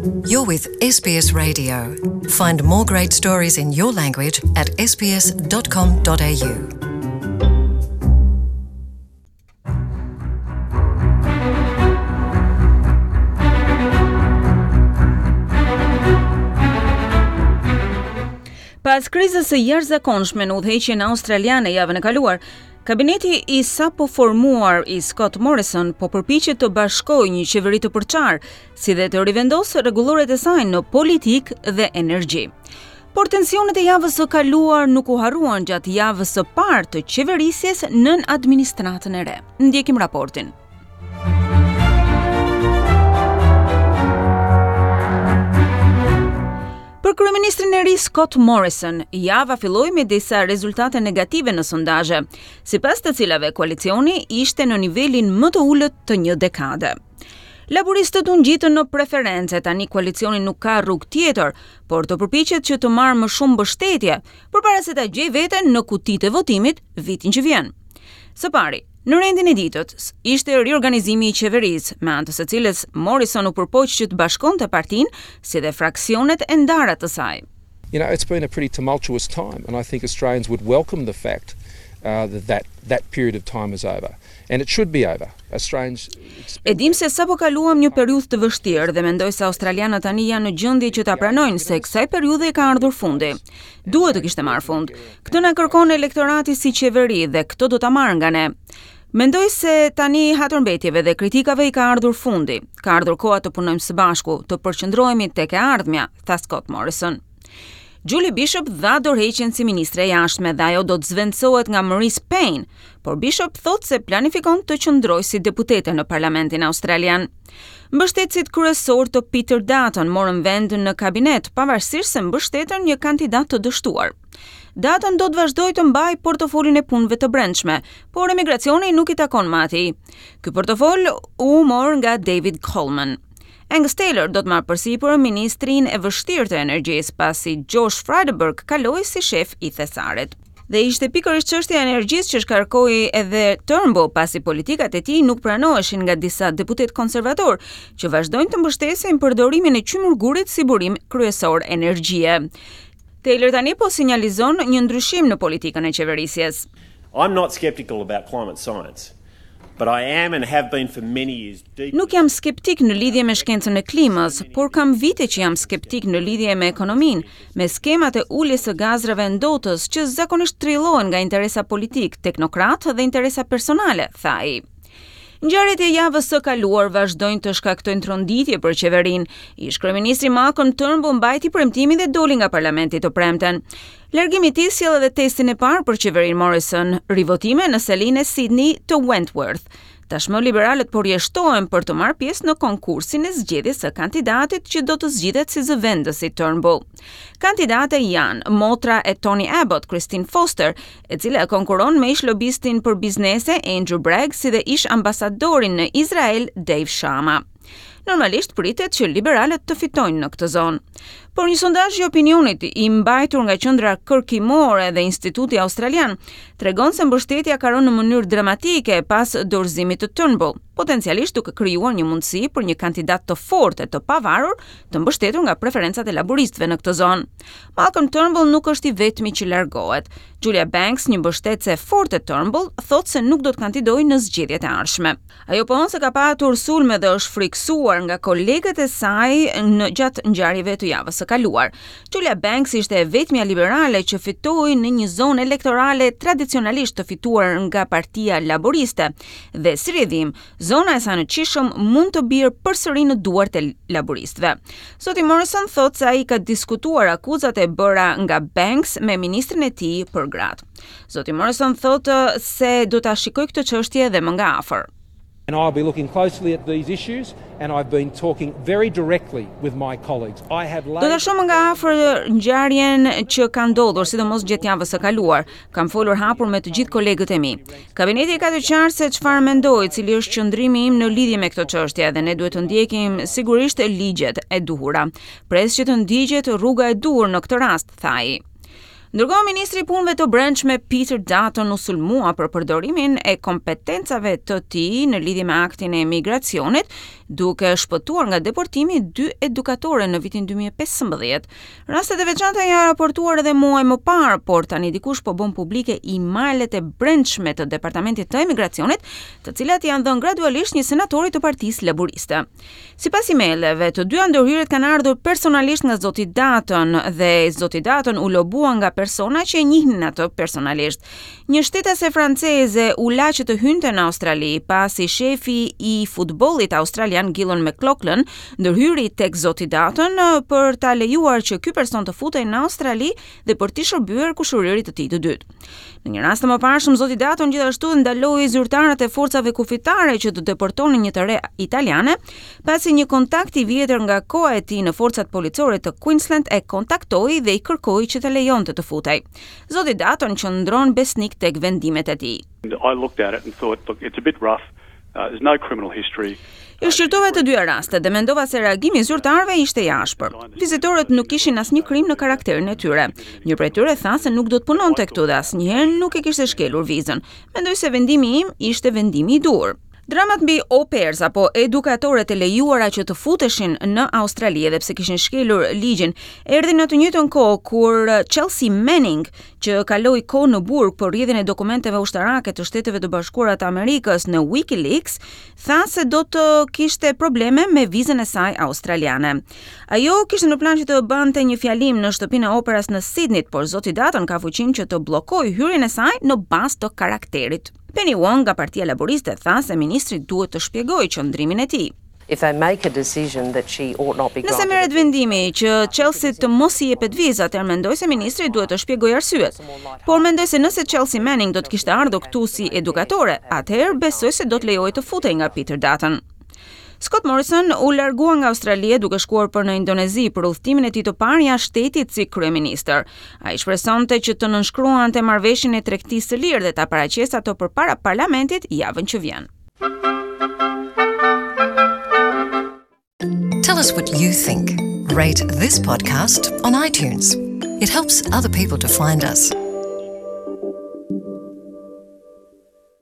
You're with SBS Radio. Find more great stories in your language at sbs.com.au. Pas krizës së jashtëzakonshme në udhëheqjen australiane javën e kaluar, kabineti i sapo formuar i Scott Morrison po përpiqet të bashkojë një qeveri të përçarë, si dhe të rivendosë rregulloret e saj në politikë dhe energji. Por tensionet e javës së kaluar nuk u harruan gjatë javës së parë të qeverisjes nën administratën e re. Ndjekim raportin. Për kryeministrin e ri Scott Morrison, java filloi me disa rezultate negative në sondazhe, sipas të cilave koalicioni ishte në nivelin më të ulët të një dekade. Laburistët u ngjitën në preferencë, tani koalicioni nuk ka rrugë tjetër, por të përpiqet që të marrë më shumë mbështetje, përpara se ta gjejë veten në kutitë e votimit vitin që vjen. Së pari, në rendin e ditës ishte riorganizimi i qeverisë, me anë të së cilës Morrison u përpoq që të bashkonte partinë si dhe fraksionet e ndara të saj. You know, it's been a pretty tumultuous time and I think Australians would welcome the fact uh, that, that that period of time is over. And it should be over. Australians E dimë se sapo kaluam një periudhë të vështirë dhe mendoj se australianët tani janë në gjendje që ta pranojnë se kësaj periudhe i ka ardhur fundi. Duhet të kishte marrë fund. Këtë na kërkon elektorati si qeveri dhe këtë do ta marrë nga ne. Mendoj se tani hatërmbetjeve dhe kritikave i ka ardhur fundi. Ka ardhur koha të punojmë së bashku, të përqendrohemi tek e ardhmja, tha Scott Morrison. Julie Bishop dha dorëheqjen si ministre e jashtme dhe ajo do të zëvendësohet nga Marise Payne, por Bishop thotë se planifikon të qëndrojë si deputete në Parlamentin Australian. Mbështetësit kryesorë të Peter Dutton morën vend në kabinet, pavarësisht se mbështetën një kandidat të dështuar. Dutton do të vazhdojë të mbajë portofolin e punëve të brendshme, por emigracioni nuk i takon më atij. Ky portofol u mor nga David Coleman. Angus Taylor do të marrë përsipër ministrinë e vështirë të energjisë, pasi Josh Frydenberg kaloi si shef i thesarit. Dhe ishte pikërisht çështja e energjisë që shkarkoi edhe Turnbull, pasi politikat e tij nuk pranoheshin nga disa deputetë konservatorë që vazhdojnë të mbështesin përdorimin e qymyrgurit si burim kryesor energjie. Taylor tani po sinjalizon një ndryshim në politikën e qeverisjes. I'm not skeptical about climate science. But I am and have been for many years deeply Nuk jam skeptik në lidhje me shkencën e klimës, por kam vite që jam skeptik në lidhje me ekonominë, me skemat e uljes së gazrave ndotës që zakonisht trillohen nga interesa politikë, teknokratë dhe interesa personale, tha ai. Ngjarjet e javës së kaluar vazhdojnë të shkaktojnë tronditje për qeverinë. Ish kryeministri Malcolm Turnbull mbajti premtimin dhe doli nga parlamenti të premten. Largimi i tij sjell edhe testin e parë për qeverinë Morrison, rivotime në selinë e Sydney të Wentworth. Tashmë liberalët po rrjeshtohen për të marrë pjesë në konkursin e zgjedhjes së kandidatit që do të zgjidhet si zëvendës i Turnbull. Kandidate janë motra e Tony Abbott, Christine Foster, e cila konkuron me ish lobistin për biznese Andrew Bragg si dhe ish ambasadorin në Izrael Dave Sharma. Normalisht pritet që liberalët të fitojnë në këtë zonë. Por një sondazh i opinionit i mbajtur nga qendra kërkimore dhe Instituti Australian tregon se mbështetja ka rënë në mënyrë dramatike pas dorëzimit të Turnbull, potencialisht duke krijuar një mundësi për një kandidat të fortë e të pavarur të mbështetur nga preferencat e laburistëve në këtë zonë. Malcolm Turnbull nuk është i vetmi që largohet. Julia Banks, një mbështetëse e fortë e Turnbull, thotë se nuk do të kandidojë në zgjedhjet e ardhshme. Ajo pohon se ka patur sulme dhe është frikësuar nga kolegët e saj në gjatë ngjarjeve të javës së kaluar. Julia Banks ishte e vetmja liberale që fitoi në një zonë elektorale tradicionalisht të fituar nga Partia Laboriste dhe si rrjedhim, zona e saj në Chisholm mund të bjerë përsëri në duart e laboristëve. Zoti Morrison thotë se ai ka diskutuar akuzat e bëra nga Banks me ministrin e tij për gratë. Zoti Morrison thotë se do ta shikojë këtë çështje edhe më nga afër. And I'll be looking closely at these issues and I've been talking very directly with my colleagues. I have laid Do ta shoh më nga afër ngjarjen që ka ndodhur, sidomos gjatë javës së kaluar. Kam folur hapur me të gjithë kolegët e mi. Kabineti e ka të qartë se çfarë mendoj, cili është qëndrimi im në lidhje me këtë çështje dhe ne duhet të ndjekim sigurisht ligjet e duhura. Pres që të ndiqet rruga e duhur në këtë rast, tha ai. Ndërkohë, ministri i Punëve të Brendshme Peter Dutton u sulmua për përdorimin e kompetencave të tij në lidhje me aktin e emigracionit, duke shpëtuar nga deportimi dy edukatore në vitin 2015. Rastet e veçanta janë raportuar edhe muaj më parë, por tani dikush po bën publike emailet e brendshme të Departamentit të Emigracionit, të cilat janë dhënë gradualisht një senatori të Partisë Laburiste. Sipas emaileve, të dyja ndërhyrjet kanë ardhur personalisht nga zoti Dutton dhe zoti Dutton u lobua nga persona që e njihnin atë personalisht. Një shtetase franceze u la që të hynte në Australi, pasi shefi i futbollit australian Gillon McLachlan ndërhyri tek zoti Dutton për ta lejuar që ky person të futej në Australi dhe për t'i shërbyer kushëririt të tij të dytë. Në një rast të mëparshëm, zoti Dutton gjithashtu ndaloi zyrtarët e forcave kufitare që të deportonin një të re italiane, pasi një kontakt i vjetër nga koha e tij në forcat policore të Queensland e kontaktoi dhe i kërkoi që ta lejonte të futej. Zoti Dutton qëndron besnik tek vendimet e tij. I looked at it and thought, look, it's a bit rough. Uh, there's no criminal history. I shqyrtova të dyja rastet dhe mendova se reagimi i zyrtarëve ishte i ashpër. Vizitorët nuk kishin asnjë krim në karakterin e tyre. Një prej tyre tha se nuk do të punonte këtu dhe asnjëherë nuk e kishte shkelur vizën. Mendoj se vendimi im ishte vendimi i duhur. Dramat mbi au pairs apo edukatoret e lejuara që të futeshin në Australi edhe pse kishin shkelur ligjin, erdhi në të njëjtën kohë kur Chelsea Manning, që kaloi kohë në burg për rrjedhjen e dokumenteve ushtarake të Shteteve të Bashkuara të Amerikës në WikiLeaks, tha se do të kishte probleme me vizën e saj australiane. Ajo kishte në plan që të bënte një fjalim në shtëpinë e operas në Sydney, por zoti Dutton ka fuqinë që të bllokojë hyrjen e saj në bazë të karakterit. Penny Wong nga Partia Laboriste tha se ministri duhet të shpjegojë qëndrimin e tij. If they make a decision that she ought not be granted. Nëse merret vendimi që Chelsea të mos i jepet vizë, atëherë mendoj se ministri duhet të shpjegojë arsyet. Por mendoj se nëse Chelsea Manning do të kishte ardhur këtu si edukatore, atëherë besoj se do të lejohej të futej nga Peter Dutton. Scott Morrison u largua nga Australia duke shkuar për në Indonezi për udhëtimin e tij të parë jashtë shtetit si kryeministër. Ai shpresonte që të nënshkruante marrëveshjen e tregtisë së lirë dhe ta paraqesë atë përpara parlamentit javën që vjen. Tell us what you think. Rate this podcast on iTunes. It helps other people to find us.